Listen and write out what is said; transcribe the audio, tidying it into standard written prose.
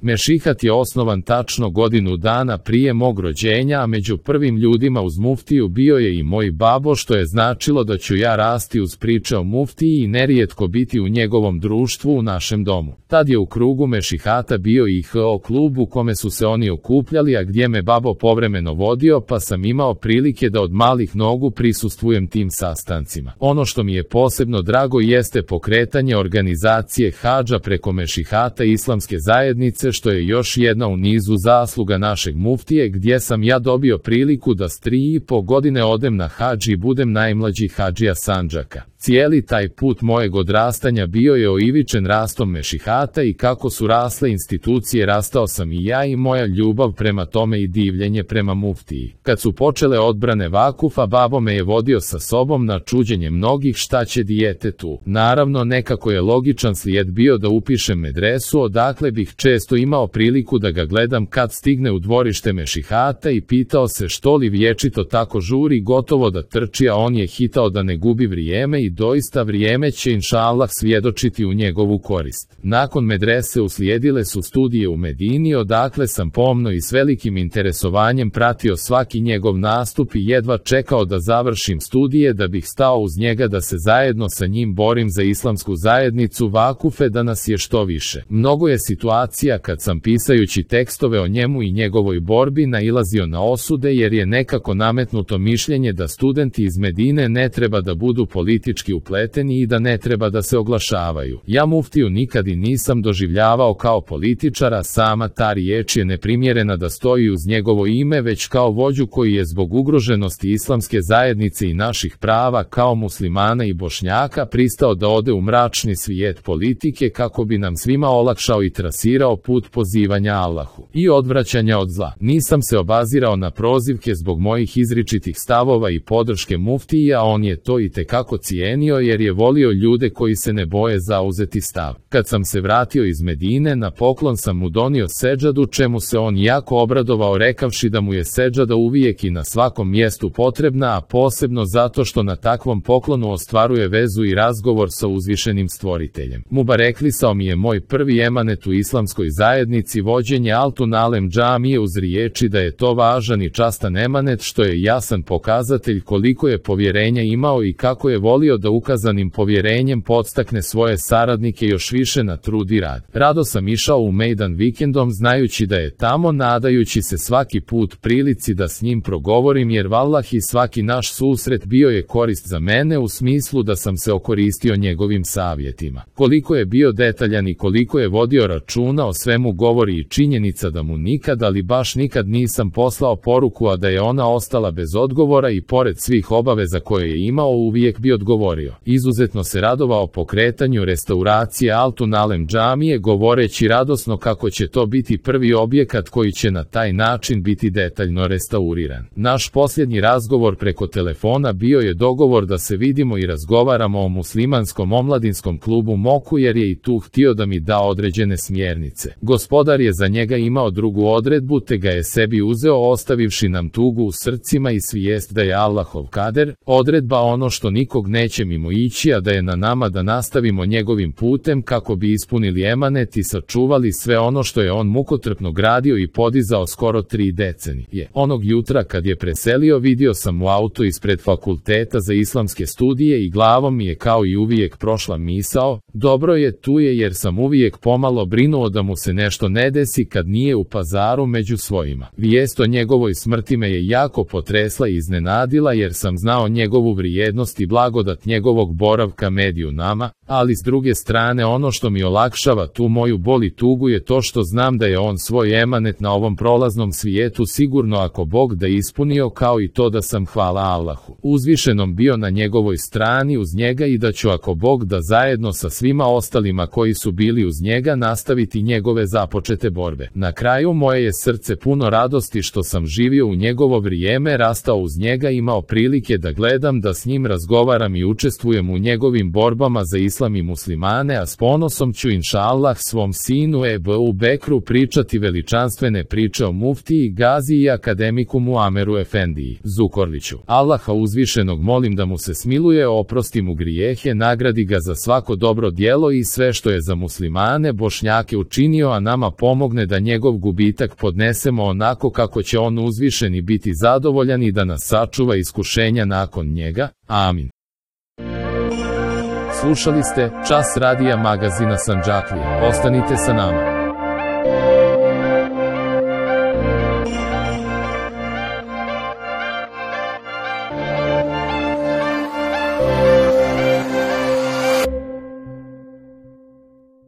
Mešihat je osnovan tačno godinu dana prije mog rođenja, a među prvim ljudima uz muftiju bio je i moj babo, što je značilo da ću ja rasti uz priče o muftiji i nerijetko biti u njegovom društvu u našem domu. Tad je u krugu mešihata bio i HO klub u kome su se oni okupljali, a gdje me babo povremeno vodio, pa sam imao prilike da od malih nogu prisustvujem tim sastancima. Ono što mi je posebno drago jeste pokretanje organizacije hadža preko mešihata Islamske zajednice, što je još jedna u nizu zasluga našeg muftije, gdje sam ja dobio priliku da s 3,5 godine odem na hadž i budem najmlađi hadžija Sandžaka. Cijeli taj put mojeg odrastanja bio je oivičen rastom mešihata i kako su rasle institucije, rastao sam i ja i moja ljubav prema tome i divljenje prema muftiji. Kad su počele odbrane vakufa, babo me je vodio sa sobom na čuđenje mnogih šta će dijete tu. Naravno, nekako je logičan slijed bio da upišem medresu, odakle bih često imao priliku da ga gledam kad stigne u dvorište mešihata i pitao se što li vječito tako žuri, gotovo da trči, a on je hitao da ne gubi vrijeme i doista vrijeme će inšallah svjedočiti u njegovu korist. Nakon medrese uslijedile su studije u Medini, odakle sam pomno i s velikim interesovanjem pratio svaki njegov nastup i jedva čekao da završim studije da bih stao uz njega da se zajedno sa njim borim za islamsku zajednicu vakufe, da nas je što više. Mnogo je situacija kad sam pisajući tekstove o njemu i njegovoj borbi nailazio na osude, jer je nekako nametnuto mišljenje da studenti iz Medine ne treba da budu politički upleteni i da ne treba da se oglašavaju. Ja muftiju nikad i nisam doživljavao kao političara, sama ta riječ je neprimjerena da stoji uz njegovo ime, već kao vođu koji je zbog ugroženosti islamske zajednice i naših prava kao muslimana i Bošnjaka pristao da ode u mračni svijet politike kako bi nam svima olakšao i trasirao put pozivanja Allahu i odvraćanja od zla. Nisam se obazirao na prozivke zbog mojih izričitih stavova i podrške muftiji, a on je to itekako cijenio jer je volio ljude koji se ne boje zauzeti stav. Kad sam se vratio iz Medine, na poklon sam mu donio seđadu, čemu se on jako obradovao, rekavši da mu je seđada uvijek i na svakom mjestu potrebna, a posebno zato što na takvom poklonu ostvaruje vezu i razgovor sa uzvišenim stvoriteljem. Mubareklisao mi je moj prvi emanet u islamskoj zajednici, vođenje Altun Alem džamije, uz riječi da je to važan i častan emanet, što je jasan pokazatelj koliko je povjerenja imao i kako je volio da ukazanim povjerenjem podstakne svoje saradnike još više na trud i rad. Rado sam išao u mejdan vikendom, znajući da je tamo, nadajući se svaki put prilici da s njim progovorim, jer vallahi svaki naš susret bio je korist za mene, u smislu da sam se okoristio njegovim savjetima. Koliko je bio detaljan i koliko je vodio računa o svemu govori i činjenica da mu nikad, ali baš nikad nisam poslao poruku, a da je ona ostala bez odgovora i pored svih obaveza koje je imao uvijek bi odgovorio. Izuzetno se radovao pokretanju restauracije Altun Alem džamije, govoreći radosno kako će to biti prvi objekat koji će na taj način biti detaljno restauriran. Naš posljednji razgovor preko telefona bio je dogovor da se vidimo i razgovaramo o muslimanskom omladinskom klubu Moku, jer je i tu htio da mi da određene smjernice. Gospodar je za njega imao drugu odredbu, te ga je sebi uzeo, ostavivši nam tugu u srcima i svijest da je Allahov kader, odredba ono što nikog neće mimo ići, a da je na nama da nastavimo njegovim putem kako bi ispunili emanet i sačuvali sve ono što je on mukotrpno gradio i podizao skoro 3 decenije. Onog jutra kad je preselio, vidio sam u auto ispred fakulteta za islamske studije i glavom mi je kao i uvijek prošla misao, dobro je, tu je, jer sam uvijek pomalo brinuo da mu se nešto ne desi kad nije u Pazaru među svojima. Vijest o njegovoj smrti me je jako potresla i iznenadila, jer sam znao njegovu vrijednost i blagodat njegovog boravka među nama, ali s druge strane ono što mi olakšava tu moju bol i tugu je to što znam da je on svoj emanet na ovom prolaznom svijetu sigurno, ako Bog da, ispunio, kao i to da sam, hvala Allahu uzvišenom, bio na njegovoj strani uz njega i da ću, ako Bog da, zajedno sa svima ostalima koji su bili uz njega nastaviti njegove započete borbe. Na kraju, moje je srce puno radosti što sam živio u njegovo vrijeme, rastao uz njega, imao prilike da gledam, da s njim razgovaram i učim učestvujem u njegovim borbama za islam i muslimane, a s ponosom ću inšallah svom sinu Ebu Bekru pričati veličanstvene priče o muftiji Gazi i akademiku Muameru Efendiji Zukorliću. Allaha uzvišenog molim da mu se smiluje, oprosti mu grijehe, nagradi ga za svako dobro djelo i sve što je za muslimane Bošnjake učinio, a nama pomogne da njegov gubitak podnesemo onako kako će on uzvišeni biti zadovoljan i da nas sačuva iskušenja nakon njega. Amin. Slušali ste Čas radija magazina Sandžaklija. Ostanite sa nama.